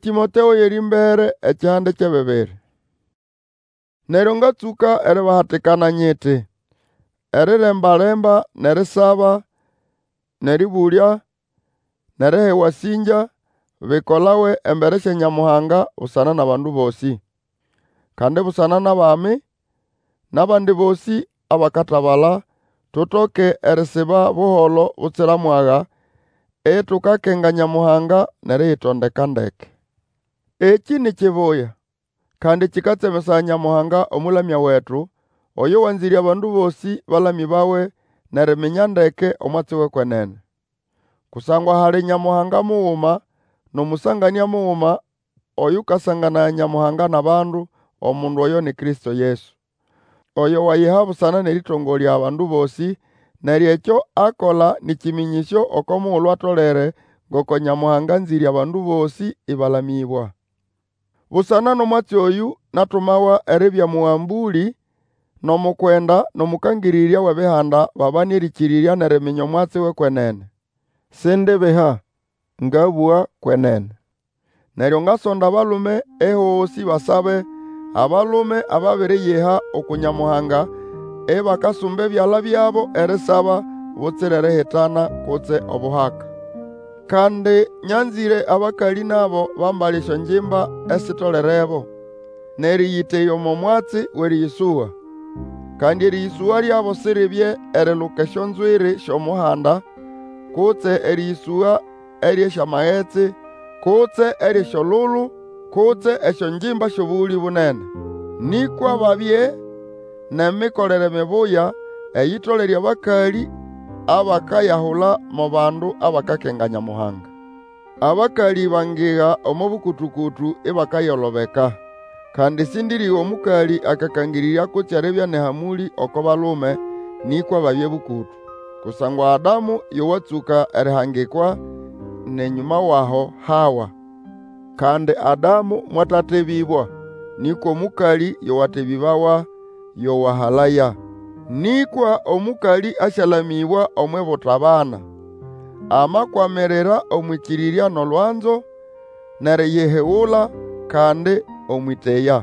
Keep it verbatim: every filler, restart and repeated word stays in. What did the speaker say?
Tĩmoteo y'erĩmbere ekihande ky'ebibiri. Neryo ngatsũka eribahatikana nyiti, Eriremba-lemba n'erisaba, n'erĩbũlya, n'eriha ewasĩngya, bikolawe embere sya Nyamuhanga busana n'abandu bosĩ. Kandi busana n'abami, n'abandi bosĩ abakatabala, tutoke erisiba buholo butsira mwaga, itukakenga Nyamuhanga n'eriyitondeka ndeke. Ekĩ ni kibuya, kandi kĩkatsemesaya Nyamuhanga Omũlamya wetu, oyo wanzĩre abandu bosĩ balamĩbawe n'eriminya ndeke omwatsi w'ekwenene. Kusangwa hali Nyamuhanga muguma, n'Omũsanganĩa muguma oyũkasanganaya Nyamuhanga n'abandu, omundu oyo ni Kristo Yesu. Oyo wayiha busana n'erĩtongolya abandu bosĩ, neryo ekyo akola nĩ kĩmĩnyĩsyo oko mugulu atolere ngoko Nyamuhanga anzĩre abandu bosĩ ĩbalamĩbwa. Busana n'omwatsi oyũ natumawa eribya mũgambũlĩ, n'omukwenda, n'omũkangĩrĩrya w'Ebihanda babane erĩkĩrĩrya n'eriminya omwatsi w'ekwenene. Sindibiha, ngabũga kwenene. Neryo ngasonda abalume ehosĩ basabe, abalume ababiriyiha uku Nyamuhanga, ibakasumba ebyala byabo erisaba, butsira erihitana kutse obuhaka. Kandi nyanzĩre abakalĩ nabo bambale esyongimba esitolerebo, n'erĩyĩteya omo mwatsi w'erĩyĩsũga. Kandi erĩyĩsũga lyabo siribye eriluka esyonzwiri sy'omuhanda, kutse erĩyĩsũga ery'esyamagetsi, kutse ery'esyolulu, kutse esyongimba sy'obũgũlĩ bunene. Nĩkwa babye n'emikolere mibuya, eyitolere abakalĩ abakayahula mo bandu abakakenga Nyamuhanga. Abakalĩ bangiga omo bũkũtũ-kũtũ ibakayolobeka. Kandi sĩndĩrĩga omũkalĩ akakangĩrĩrya kutse eribya n'ehamũlĩ oko balume, nĩkwa babye bũkũtũ. Kusangwa Adamu yo watsũka erihangikwa, n'enyũma w'aho Hawa. Kandi Adamu mwatatebĩbwa, nĩkwa omũkalĩ yo watebĩbawa, yo wahalaya. Nĩkwa omũkalĩ asyalamĩbwa omw'ibuta-bana, amakwamirira omw'ĩkĩrĩrya n'olwanzo, n'eriyihigula, kandi omw'ĩteya.